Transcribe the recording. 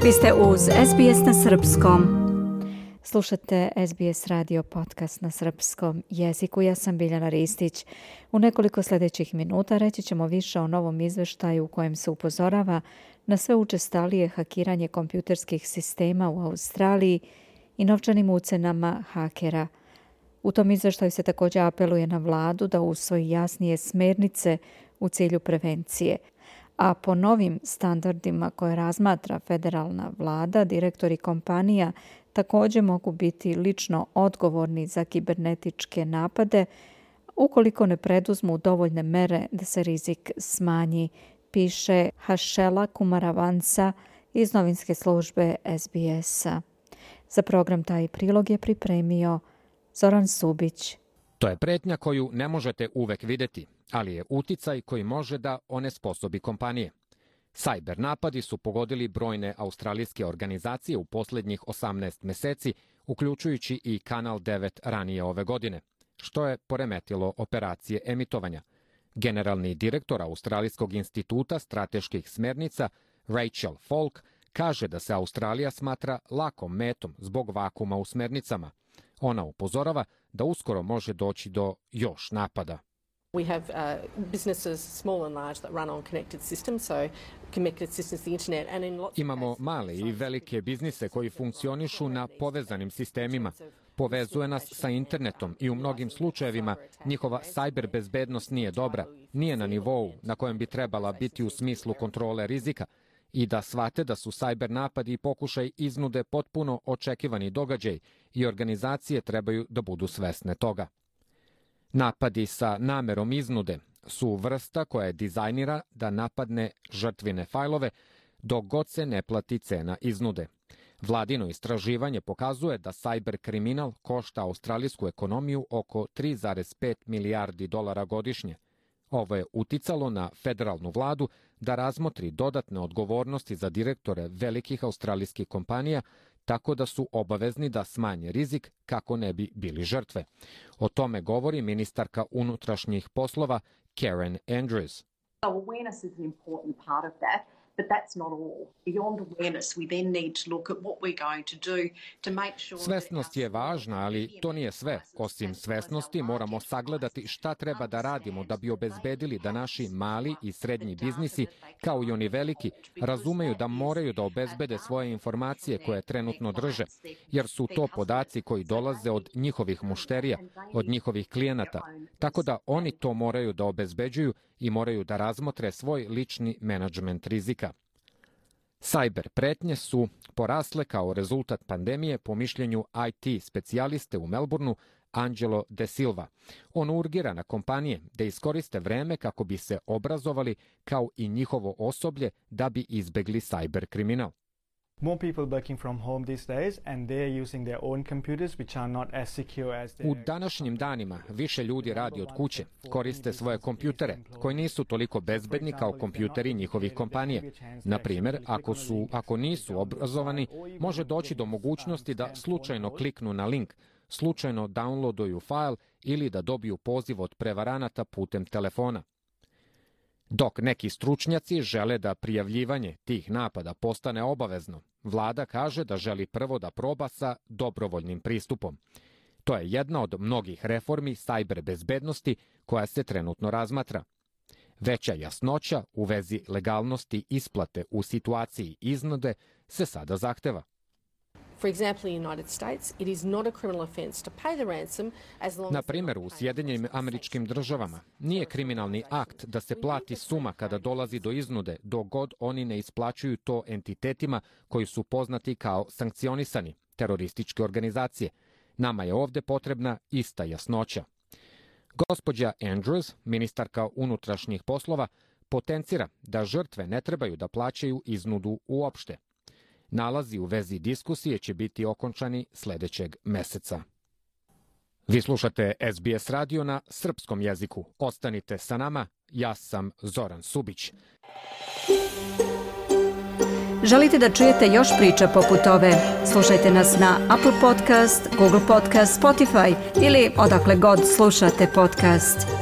Vi ste uz SBS na srpskom. Slušate SBS radio podcast na srpskom jeziku. Ja sam Biljana Ristić. U nekoliko sljedećih minuta reći ćemo više o novom izveštaju u kojem se upozorava na sve učestalije hakiranje kompjuterskih sistema u Australiji i novčanim ucenama hakera. U tom izveštaju se također apeluje na vladu da usvoji jasnije smjernice u cilju prevencije. A po novim standardima koje razmatra federalna vlada, direktori kompanija također mogu biti lično odgovorni za kibernetičke napade ukoliko ne preduzmu dovoljne mere da se rizik smanji, piše Hašela Kumaravansa iz novinske službe SBS-a. Za program taj prilog je pripremio Zoran Subić. To je pretnja koju ne možete uvek vidjeti, ali je uticaj koji može da onesposobi kompanije. Cyber napadi su pogodili brojne australijske organizacije u posljednjih 18 mjeseci, uključujući i Kanal 9 ranije ove godine, što je poremetilo operacije emitovanja. Generalni direktor Australijskog instituta strateških smjernica Rachel Falk kaže da se Australija smatra lakom metom zbog vakuma u smjernicama. Ona upozorava da uskoro može doći do još napada. We have businesses, small and large, that run on connected systems, so connected systems, the internet, and in lots. Imamo male i velike biznise koji funkcionišu na povezanim sistemima. Povezuje nas sa internetom i u mnogim slučajevima njihova cyber bezbednost nije dobra, nije na nivou na kojem bi trebala biti u smislu kontrole rizika i da shvate da su cyber napadi i pokušaj iznude potpuno očekivani događaj i organizacije trebaju da budu svesne toga. Napadi sa namerom iznude su vrsta koja je dizajnira da napadne žrtvine fajlove dok god se ne plati cena iznude. Vladino istraživanje pokazuje da cyber kriminal košta australijsku ekonomiju oko 3,5 milijardi dolara godišnje. Ovo je uticalo na federalnu vladu da razmotri dodatne odgovornosti za direktore velikih australijskih kompanija, tako da su obavezni da smanje rizik kako ne bi bili žrtve. O tome govori ministarka unutrašnjih poslova Karen Andrews. Awareness is an important part of that, but that's not all. Beyond awareness, we then need to look at what we're going to do to make sure. Svesnost je važna, ali to nije sve. Osim svesnosti, moramo sagledati šta treba da radimo da bi obezbedili da naši mali i srednji biznisi, kao i oni veliki, razumeju da moraju da obezbede svoje informacije koje trenutno drže, jer su to podaci koji dolaze od njihovih mušterija, od njihovih klijenata, tako da oni to moraju da obezbeđuju i moraju da razmotre svoj lični menadžment rizika. Cyber pretnje su porasle kao rezultat pandemije po mišljenju IT specijaliste u Melbourneu Angelo De Silva. On urgira na kompanije da iskoriste vreme kako bi se obrazovali kao i njihovo osoblje da bi izbegli cyber kriminal. More people working from home these days and they're using their own computers which are not as secure as U današnjim danima više ljudi radi od kuće, koriste svoje kompjutere koji nisu toliko bezbedni kao kompjuteri njihovih kompanija. Na primjer, ako nisu obrazovani, može doći do mogućnosti da slučajno kliknu na link, slučajno downloaduju fajl ili da dobiju poziv od prevaranata putem telefona. Dok neki stručnjaci žele da prijavljivanje tih napada postane obavezno, vlada kaže da želi prvo da proba sa dobrovoljnim pristupom. To je jedna od mnogih reformi cyber bezbednosti koja se trenutno razmatra. Veća jasnoća u vezi legalnosti isplate u situaciji iznude se sada zahteva. Na primjer, u Sjedinjenim Američkim Državama nije kriminalni akt da se plati suma kada dolazi do iznude, dok god oni ne isplaćuju to entitetima koji su poznati kao sankcionisani, terorističke organizacije. Nama je ovdje potrebna ista jasnoća. Gospođa Andrews, ministarka unutrašnjih poslova, potencira da žrtve ne trebaju da plaćaju iznudu uopšte. Nalazi u vezi diskusije će biti okončani sljedećeg meseca. Vi slušate SBS radio na srpskom jeziku. Ostanite sa nama, ja sam Zoran Subić. Želite da čujete još priča poput ove? Slušajte nas na Apple Podcast, Google Podcast, Spotify ili odakle god slušate podcast.